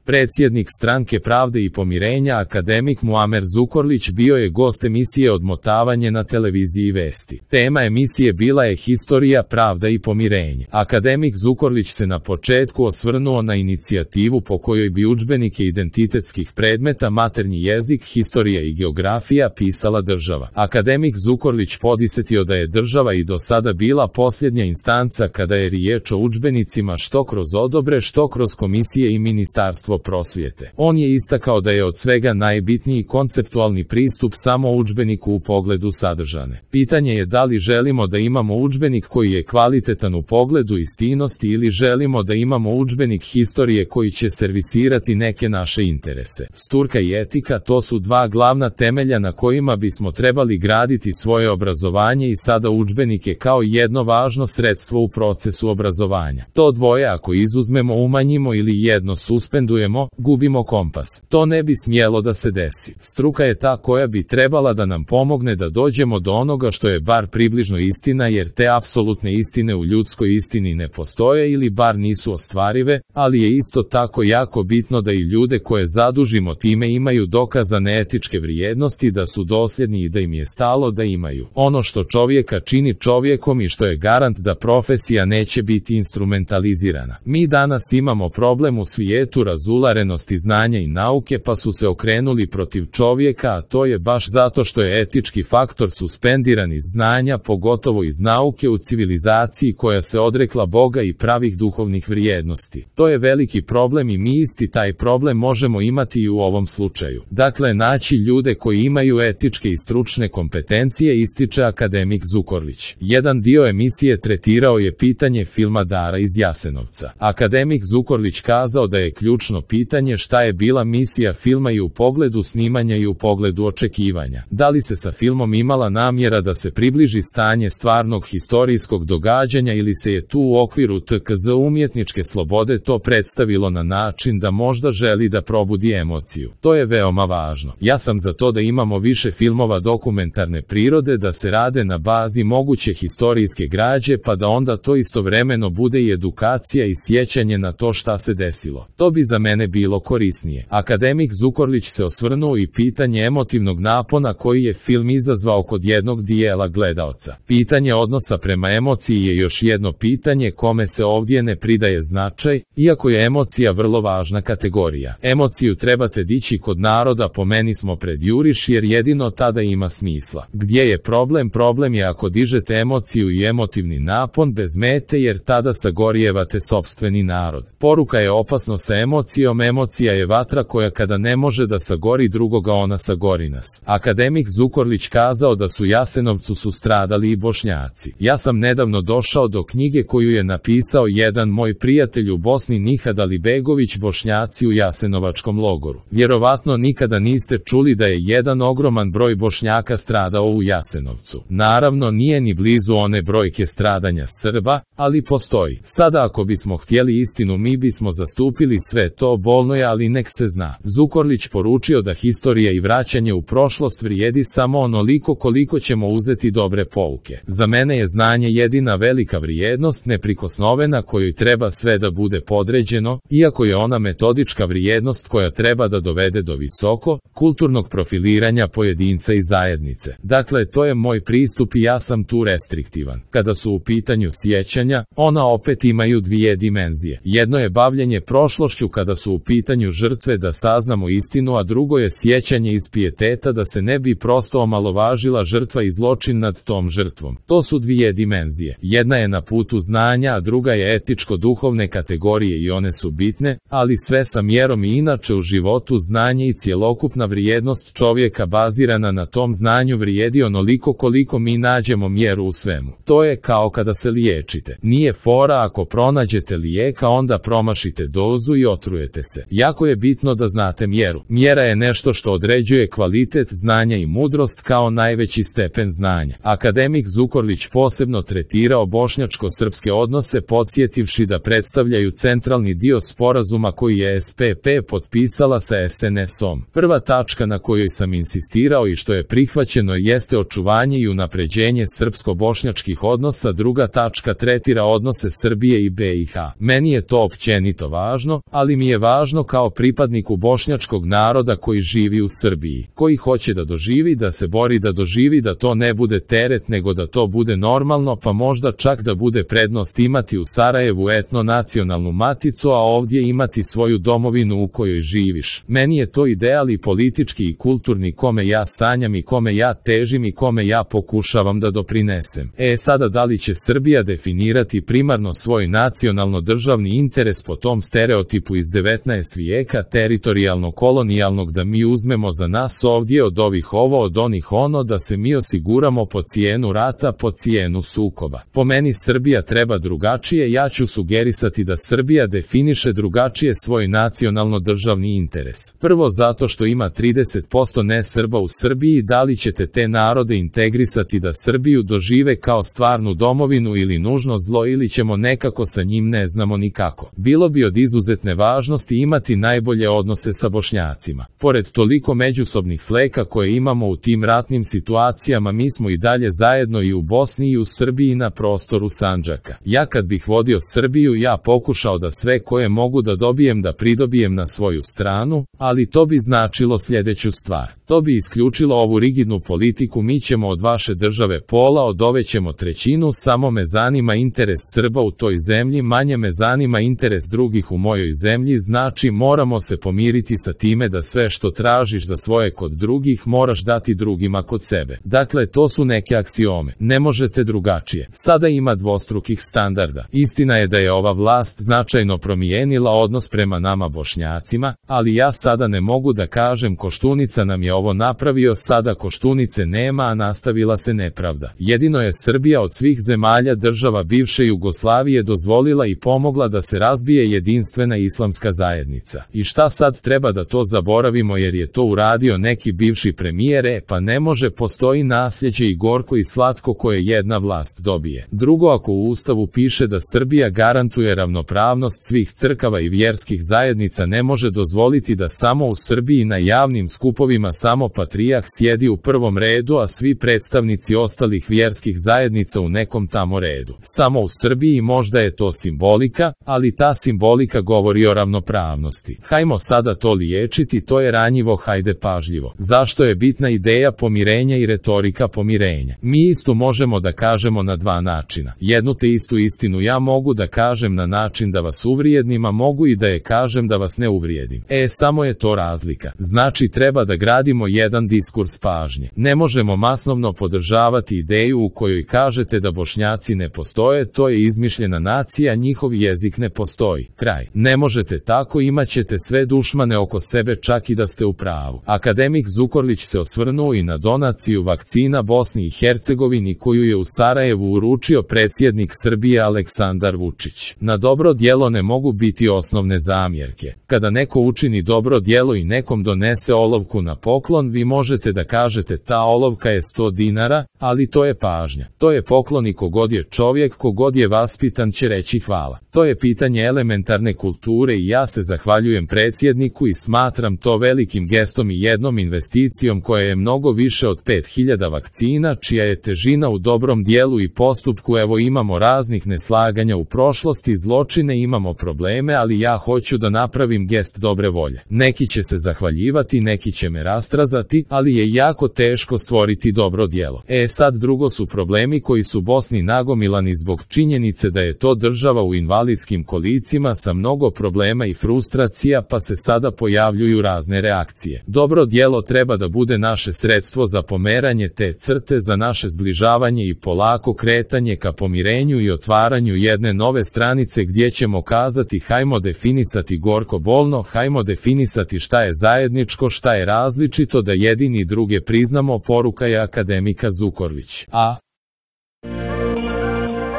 Predsjednik Stranke pravde i pomirenja akademik Muamer Zukorlić bio je gost emisije Odmotavanje na televiziji Vesti. Tema emisije bila je Historija, pravda i pomirenje. Akademik Zukorlić se na početku osvrnuo na inicijativu po kojoj bi udžbenike identitetskih predmeta maternji jezik, historija i geografija pisala država. Akademik Zukorlić podsetio da je država i do sada bila posljednja instanca kada je riječ o udžbenicima, što kroz odobre, što kroz komisije i Ministarstvo prosvjete. On je istakao da je od svega najbitniji konceptualni pristup samo udžbeniku u pogledu sadržane. Pitanje je da li želimo da imamo udžbenik koji je kvalitetan u pogledu istinosti ili želimo da imamo udžbenik historije koji će servisirati neke naše interese. Struka i etika, to su dva glavna temelja na kojima bismo trebali graditi svoje obrazovanje i sada udžbenike kao jedno važno sredstvo u procesu obrazovanja. To dvoje ako izuzmemo, umanjimo ili jedno suspendujemo, gubimo kompas. To ne bi smjelo da se desi. Struka je ta koja bi trebala da nam pomogne da dođemo do onoga što je bar približno istina, jer te apsolutne istine u ljudskoj istini ne postoje ili bar nisu ostvarive, ali je isto tako jako bitno da i ljude koje zadužimo time imaju dokazane etičke vrijednosti, da su dosljedni i da im je stalo da imaju ono što čovjeka čini čovjekom i što je garant da profesija neće biti instrumentalizirana. Mi danas imamo problem u svijetu razularenosti znanja i nauke, pa su se okrenuli protiv čovjeka, a to je baš zato što je etički faktor suspendiran iz znanja, pogotovo iz nauke u civilizaciji koja se odrekla Boga i pravih duhovnih vrijednosti. To je veliki problem i mi isti taj problem možemo imati i u ovom slučaju. Dakle, naći ljude koji imaju etičke i stručne kompetencije, ističe akademik Zukorlić. Jedan dio emisije tretirao je pitanje filma Dara iz Jasenovca. Akademik Zukorlić kazao da je ključno pitanje šta je bila misija filma i u pogledu snimanja i u pogledu očekivanja. Da li se sa filmom imala namjera da se približi stanje stvarnog historijskog događanja ili se je tu u okviru TKZ umjetničke slobode to predstavilo na način da možda želi da probudi emociju. To je veoma važno. Ja sam za to da imamo više filmova dokumentarne prirode, da se rade na bazi moguće historijske građe, pa da onda to istovremeno bude i edukacija i sjećanje na to šta se desilo. To bi za mene bilo korisnije. Akademik Zukorlić se osvrnuo i pitanje emotivnog napona koji je film izazvao kod jednog dijela gledaoca. Pitanje odnosa prema emociji je još jedno pitanje kome se ovdje ne pridaje značaj, iako je emocija vrlo važna kategorija. Emociju trebate dići kod naroda, po meni smo pred juriš, jer jedino tada ima smisla. Gdje je problem? Problem je ako dižete emociju i emotivni napon bez mete, jer tada sagorijevate sopstveni narod. Poruka je opasno sa emocijom. Emocija je vatra koja kada ne može da sagori drugoga, ona sagori nas. Akademik Zukorlić kazao da su Jasenovcu su stradali i Bošnjaci. Ja sam nedavno došao do knjige koju je napisao jedan moj prijatelj u Bosni, Nihad Alibegović, Bošnjaci u Jasenovačkom logoru. Vjerovatno nikada niste čuli da je jedan ogroman broj Bošnjaka stradao u Jasenovcu. Naravno nije ni blizu one brojke stradanja Srba, ali postoji. Sada ako bismo htjeli istinu, mi bismo zastupili sve to, bolno je, ali nek se zna. Zukorlić poručio da historija i vraćanje u prošlost vrijedi samo onoliko koliko ćemo uzeti dobre pouke. Za mene je znanje jedina velika vrijednost, neprikosnovena, kojoj treba sve da bude podređeno, iako je ona metodička vrijednost koja treba da dovede do visoko, kulturnog profiliranja pojedinca i zajednice. Dakle, to je moj pristup i ja sam tu restriktivan. Kada su u pitanju sjećanja, ona opet imaju dvije dimenzije. Jedno je bavljenje prošlošću kada su u pitanju žrtve, da saznamo istinu, a drugo je sjećanje iz pijeteta, da se ne bi prosto omalovažila žrtva i zločin nad tom žrtvom. To su dvije dimenzije. Jedna je na putu znanja, a druga je etičko-duhovne kategorije i one su bitne, ali sve sa mjerom i inače u životu znanje i cjelokupna vrijednost čovjeka bazirana na tom znanju vrijedi onoliko koliko mi nađemo mjeru u svemu. To je kao kada se liječite. Nije fora ako pronađete lijeka, onda promašite dozu i otrujete se. Jako je bitno da znate mjeru. Mjera je nešto što određuje kvalitet znanja i mudrost kao najveći stepen znanja. Akademik Zukorlić posebno tretirao bošnjačko-srpske odnose, podsjetivši da predstavljaju centralni dio sporazuma koji je SPP potpisala sa SNS-om. Prva tačka na kojoj sam insistirao i što je prihvaćeno jeste očuvanje i unapređenje srpsko-bošnjačkih odnosa, druga tačka tretira odnose Srbije i BiH. Meni je to općenito važno, ali mi je je važno kao pripadniku bošnjačkog naroda koji živi u Srbiji, koji hoće da doživi, da se bori da doživi, da to ne bude teret nego da to bude normalno, pa možda čak da bude prednost imati u Sarajevu etno-nacionalnu maticu, a ovdje imati svoju domovinu u kojoj živiš. Meni je to ideal i politički i kulturni kome ja sanjam i kome ja težim i kome ja pokušavam da doprinesem. Sada da li će Srbija definirati primarno svoj nacionalno-državni interes po tom stereotipu iz 19. vijeka teritorijalno-kolonijalnog da mi uzmemo za nas ovdje od ovih ovo, od onih ono, da se mi osiguramo po cijenu rata, po cijenu sukoba. Po meni Srbija treba drugačije, ja ću sugerisati da Srbija definiše drugačije svoj nacionalno-državni interes. Prvo zato što ima 30% ne-Srba u Srbiji, da li ćete te narode integrisati da Srbiju dožive kao stvarnu domovinu ili nužno zlo ili ćemo nekako sa njim ne znamo nikako. Bilo bi od izuzetne važnosti imati najbolje odnose sa Bošnjacima. Pored toliko međusobnih fleka koje imamo u tim ratnim situacijama, mi smo i dalje zajedno i u Bosni i u Srbiji na prostoru Sandžaka. Ja kad bih vodio Srbiju, ja pokušao da sve koje mogu da dobijem da pridobijem na svoju stranu, ali to bi značilo sljedeću stvar. To bi isključilo ovu rigidnu politiku, mi ćemo od vaše države pola, od ove ćemo trećinu, samo me zanima interes Srba u toj zemlji, manje me zanima interes drugih u mojoj zemlji, znači moramo se pomiriti sa time da sve što tražiš za svoje kod drugih moraš dati drugima kod sebe. Dakle, to su neke aksiome. Ne možete drugačije. Sada ima dvostrukih standarda. Istina je da je ova vlast značajno promijenila odnos prema nama Bošnjacima, ali ja sada ne mogu da kažem Koštunica nam je ovo napravio, sada Koštunice nema, a nastavila se nepravda. Jedino je Srbija od svih zemalja država bivše Jugoslavije dozvolila i pomogla da se razbije jedinstvena islamska zajednica. I šta sad, treba da to zaboravimo jer je to uradio neki bivši premijer? Pa ne može, postoji nasljeđe i gorko i slatko koje jedna vlast dobije. Drugo, ako u Ustavu piše da Srbija garantuje ravnopravnost svih crkava i vjerskih zajednica, ne može dozvoliti da samo u Srbiji na javnim skupovima samo patrijarh sjedi u prvom redu, a svi predstavnici ostalih vjerskih zajednica u nekom tamo redu. Samo u Srbiji možda je to simbolika, ali ta simbolika govori o ravnopravnosti. Hajmo sada to liječiti, to je ranjivo, hajde pažljivo. Zašto je bitna ideja pomirenja i retorika pomirenja? Mi istu možemo da kažemo na dva načina. Jednu te istu istinu ja mogu da kažem na način da vas uvrijedim, a mogu i da je kažem da vas ne uvrijedim. Samo je to razlika. Znači treba da gradimo jedan diskurs pažnje. Ne možemo masnovno podržavati ideju u kojoj kažete da Bošnjaci ne postoje, to je izmišljena nacija, njihov jezik ne postoji. Kraj. Ne možete tako, imat ćete sve dušmane oko sebe čak i da ste u pravu. Akademik Zukorlić se osvrnuo i na donaciju vakcina Bosni i Hercegovini koju je u Sarajevu uručio predsjednik Srbije Aleksandar Vučić. Na dobro djelo ne mogu biti osnovne zamjerke. Kada neko učini dobro djelo i nekom donese olovku na poklon, vi možete da kažete ta olovka je 100 dinara, ali to je pažnja. To je poklon i kogod je čovjek, kogod je vaspitan će reći hvala. To je pitanje elementarne kulture i ja se zahvaljujem predsjedniku i smatram to velikim gestom i jednom investicijom koja je mnogo više od 5000 vakcina, čija je težina u dobrom dijelu i postupku. Evo, imamo raznih neslaganja u prošlosti, zločine, imamo probleme, ali ja hoću da napravim gest dobre volje. Neki će se zahvaljivati, neki će me rastrazati, ali je jako teško stvoriti dobro djelo. Sad drugo su problemi koji su Bosni nagomilani zbog činjenice da je to država u invalidskim kolicima sa mnogo problema i frustracija, pa se sada pojavljuju razne reakcije. Dobro djelo treba da bude naše sredstvo za pomeranje te crte, za naše zbližavanje i polako kretanje ka pomirenju i otvaranju jedne nove stranice gdje ćemo kazati hajmo definisati gorko bolno, hajmo definisati šta je zajedničko, šta je različito, da jedini druge priznamo, poruka je akademika Zukorlić.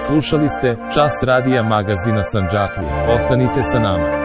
Slušali ste Čas radija magazina Sandžaklija. Ostanite sa nama.